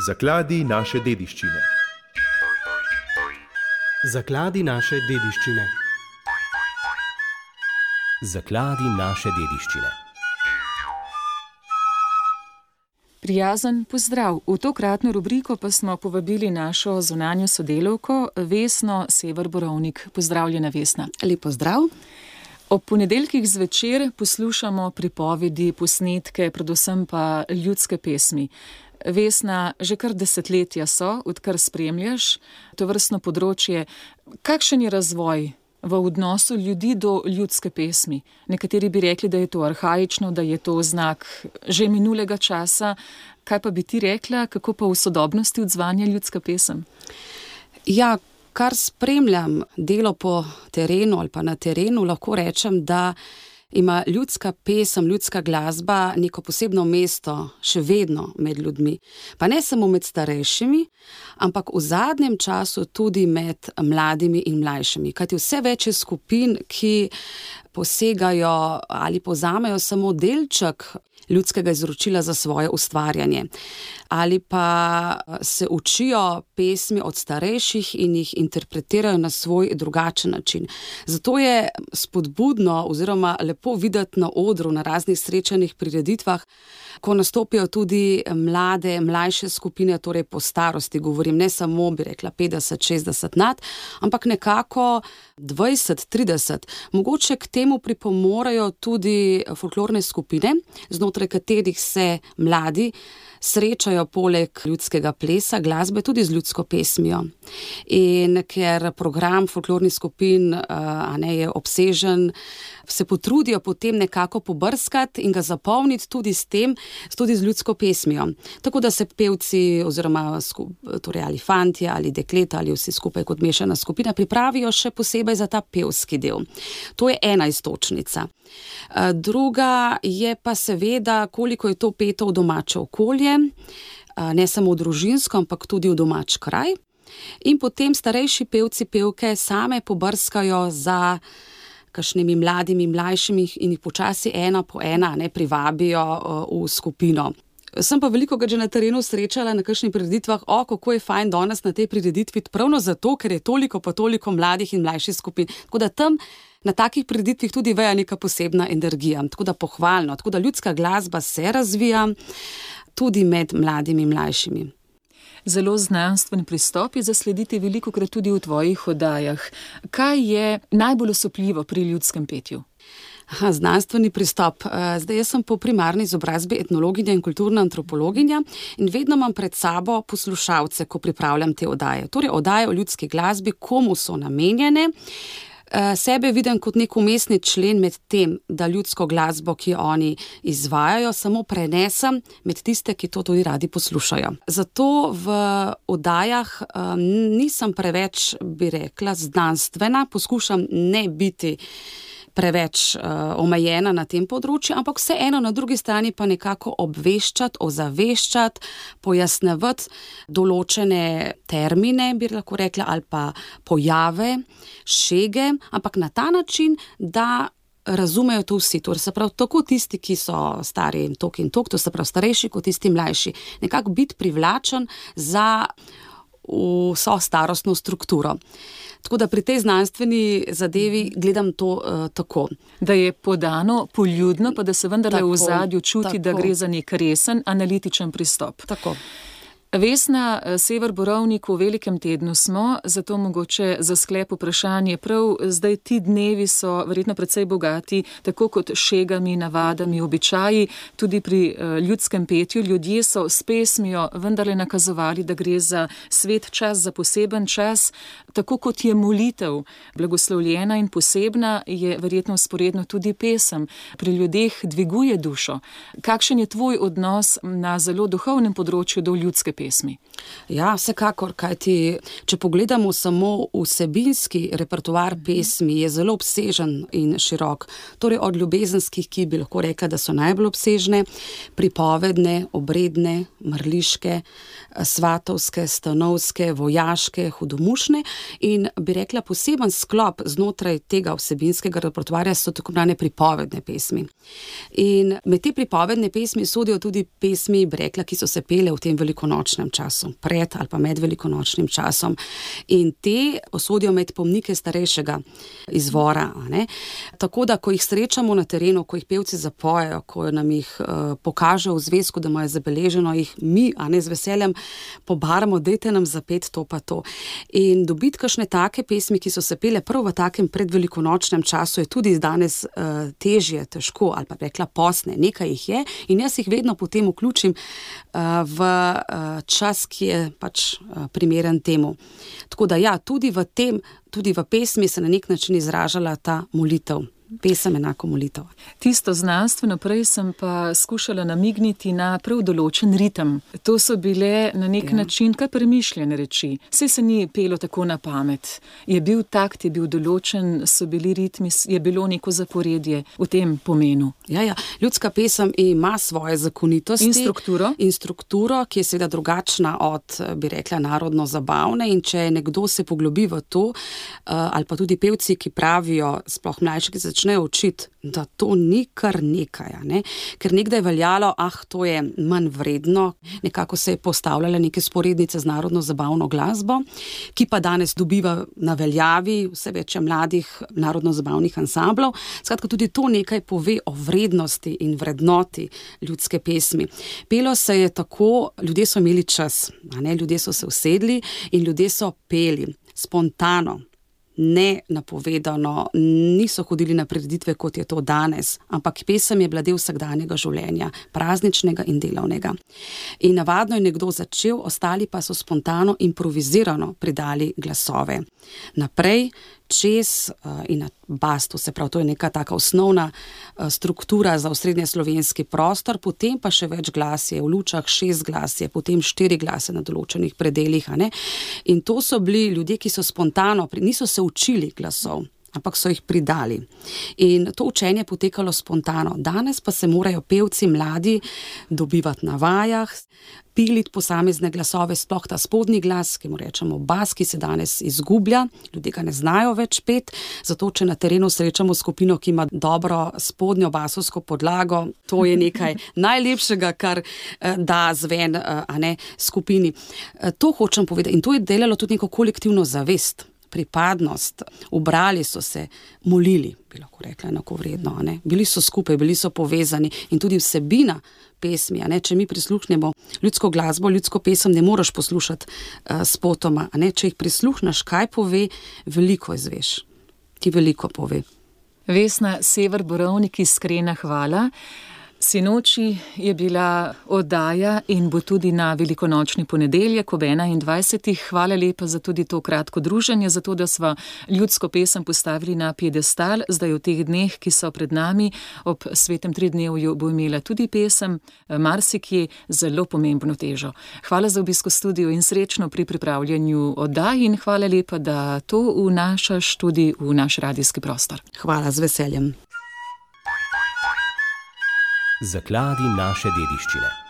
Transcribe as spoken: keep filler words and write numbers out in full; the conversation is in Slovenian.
Zakladi naše dediščine. Zakladi naše dediščine. Zakladi naše dediščine. Prijazen pozdrav. V tokratno rubriko pa smo povabili našo zunanjo sodelavko Vesno Sever Borovnik. Pozdravljena, Vesna. Lep pozdrav. Ob ponedeljkih zvečer poslušamo pripovedi, posnetke, predvsem pa ljudske pesmi. Vesna, že kar desetletja so, odkar spremljaš tovrstno področje. Kakšen je razvoj v odnosu ljudi do ljudske pesmi? Nekateri bi rekli, da je to arhaično, da je to znak že minulega časa. Kaj pa bi ti rekla, kako pa v sodobnosti odzvanja ljudska pesem? Ja, kar spremljam delo po terenu ali pa na terenu, lahko rečem, da ima ljudska pesem, ljudska glasba neko posebno mesto še vedno med ljudmi. Pa ne samo med starejšimi, ampak v zadnjem času tudi med mladimi in mlajšimi. Kajti vse več je skupin, ki posegajo ali povzamejo samo delček ljudskega izročila za svoje ustvarjanje. Ali pa se učijo pesmi od starejših in jih interpretirajo na svoj drugačen način. Zato je spodbudno oziroma lepo videti na odru, na raznih srečanih prireditvah, ko nastopijo tudi mlade, mlajše skupine, torej po starosti, govorim ne samo, bi rekla, petdeset, šestdeset nad, ampak nekako dvajset, trideset. Mogoče k temu pripomorejo tudi folklorne skupine, znotraj katerih se mladi srečajo poleg ljudskega plesa, glasbe tudi z ljudsko pesmijo. In ker program folklornih skupin a ne, je obsežen, se potrudijo potem nekako pobrskati in ga zapolniti tudi s tem, tudi z ljudsko pesmijo. Tako da se pevci oziroma torej ali fantje ali dekleta ali vsi skupaj kot mešana skupina pripravijo še posebej za ta pevski del. To je ena iztočnica. Druga je pa seveda, koliko je to peto v domače okolje, ne samo v družinsko, ampak tudi v domač kraj. In potem starejši pevci, pevke same pobrskajo za kakšnimi mladimi, mlajšimi in jih počasi ena po ena ne privabijo v skupino. Sem pa veliko ga že na terenu srečala na kakšnih prireditvah, o, kako je fajn danes na tej prireditvi, pravno zato, ker je toliko pa toliko mladih in mlajših skupin. Tako da tam na takih prireditvih tudi veja neka posebna energija, tako da pohvalno, tako da ljudska glasba se razvija tudi med mladimi in mlajšimi. Zelo znanstven pristop je zaslediti velikokrat tudi v tvojih oddajah. Kaj je najbolj osupljivo pri ljudskem petju? Aha, znanstveni pristop. Zdaj, jaz sem po primarni izobrazbi etnologinja in kulturna antropologinja in vedno imam pred sabo poslušalce, ko pripravljam te oddaje. Torej, oddaje o ljudski glasbi, komu so namenjene. Sebe vidim kot nek umestni člen med tem, da ljudsko glasbo, ki oni izvajajo, samo prenesem med tiste, ki to tudi radi poslušajo. Zato v oddajah um, nisem preveč, bi rekla, znanstvena, poskušam ne biti preveč uh, omejena na tem področju, ampak vseeno na drugi strani pa nekako obveščati, ozaveščati, pojasnevati določene termine, bi lahko rekla, ali pa pojave, šege, ampak na ta način, da razumejo to vsi. Torej se pravi, tako tisti, ki so stari in tok in tok, to se pravi starejši, kot tisti mlajši. Nekako biti privlačen za vso starostno strukturo. Tako da pri tej znanstveni zadevi gledam to uh, tako. Da je podano poljudno, pa da se vendarle v ozadju čuti, tako, da gre za nek resen, analitičen pristop. Tako. Vesna, Sever Borovnik, v velikem tednu smo, zato mogoče za sklep vprašanje. Prav zdaj ti dnevi so verjetno precej bogati, tako kot šegami, navadami, običaji, tudi pri ljudskem petju. Ljudje so s pesmijo vendarle nakazovali, da gre za svet čas, za poseben čas, tako kot je molitev blagoslovljena in posebna, je verjetno vzporedno tudi pesem. Pri ljudeh dviguje dušo. Kakšen je tvoj odnos na zelo duhovnem področju do ljudske pesmi? Ja, vsekakor, kajti če pogledamo samo vsebinski repertoar pesmi, je zelo obsežen in širok. Torej od ljubezenskih, ki bi lahko rekla, da so najbolj obsežne, pripovedne, obredne, mrliške, svatovske, stanovske, vojaške, hudomušne in bi rekla poseben sklop znotraj tega vsebinskega repertoarja so tako imenovane pripovedne pesmi. In med te pripovedne pesmi sodijo tudi pesmi, bi rekla, ki so se pele v tem velikonočnem velikonočnem času, pred ali pa med velikonočnim časom. In te sodijo med pomnike starejšega izvora. A ne? Tako da, ko jih srečamo na terenu, ko jih pevci zapojejo, ko nam jih uh, pokažejo v zvezku, da imajo zabeleženo, jih mi, a ne z veseljem, pobaramo, dajte nam zapet to pa to. In dobiti kakšne take pesmi, ki so se pele prav v takem predvelikonočnem času, je tudi danes uh, težje, težko, ali pa rekla posne, nekaj jih je in jaz jih vedno potem vključim uh, v uh, čas, ki je pač uh, primeren temu. Tako da ja, tudi v tem, tudi v pesmi se na nek način izražala ta molitev. Pesem enako molitev. Tisto znanstveno prej sem pa skušala namigniti na prav določen ritem. To so bile na nek ja. način kar premišljene reči. Saj se ni pelo tako na pamet. Je bil takt, je bil določen, so bili ritmi, je bilo neko zaporedje v tem pomenu. Ja, ja. Ljudska pesem ima svoje zakonitosti. In strukturo. In strukturo, ki je seveda drugačna od, bi rekla, narodno zabavne. In če nekdo se poglobi v to, ali pa tudi pevci, ki pravijo, sploh mlajši, ki začnejo učiti, da to ni kar nekaj, ne? Ker nekdaj je veljalo, ah, to je manj vredno, nekako se je postavljala neke sporednice z narodno zabavno glasbo, ki pa danes dobiva na veljavi vse več mladih narodno zabavnih ansamblov. Skratka, tudi to nekaj pove o vrednosti in vrednoti ljudske pesmi. Pelo se je tako, ljudje so imeli čas, a ne? Ljudje so se usedli in ljudje so peli spontano, ne napovedano, niso hodili na prireditve, kot je to danes, ampak pesem je bila del vsakdanjega življenja, prazničnega in delovnega. In navadno je nekdo začel, ostali pa so spontano, improvizirano pridali glasove. Naprej, čez uh, in na bas, to se pravi, to je neka taka osnovna uh, struktura za osrednje slovenski prostor, potem pa še več glasje, v lučah šest glasje, potem štiri glase na določenih predeljih, a ne? In to so bili ljudje, ki so spontano, niso se učili glasov, ampak so jih pridali. In to učenje je potekalo spontano. Danes pa se morajo pevci mladi dobivati na vajah, piliti posamezne glasove, sploh ta spodnji glas, ki mu rečemo bas, ki se danes izgublja, ljudje ga ne znajo več pet, zato če na terenu srečamo skupino, ki ima dobro spodnjo basovsko podlago, to je nekaj najlepšega, kar da zven, a ne, skupini. To hočem povedati in to je delalo tudi neko kolektivno zavest, pripadnost, ubrali so se, molili, bi lahko rekla enakovredno, a ne? Bili so skupaj, bili so povezani in tudi vsebina pesmi, a ne? Če mi prisluhnemo ljudsko glasbo, ljudsko pesem ne moraš poslušati uh, spotoma, a ne? Če jih prisluhneš, kaj pove, veliko izveš. Ti veliko pove. Vesna Sever Borovnik, iskrena hvala. Sinoči je bila oddaja in bo tudi na velikonočni ponedeljek ob enaindvajsetih. Hvala lepa za tudi to kratko druženje, za to, da sva ljudsko pesem postavili na piedestal. Zdaj v teh dneh, ki so pred nami, ob svetem tridnevju bo imela tudi pesem marsikje zelo pomembno težo. Hvala za obisk v studiu in srečno pri pripravljanju oddaj in hvala lepa, da to vnašaš tudi v naš radijski prostor. Hvala, z veseljem. Zakladi naše dediščine.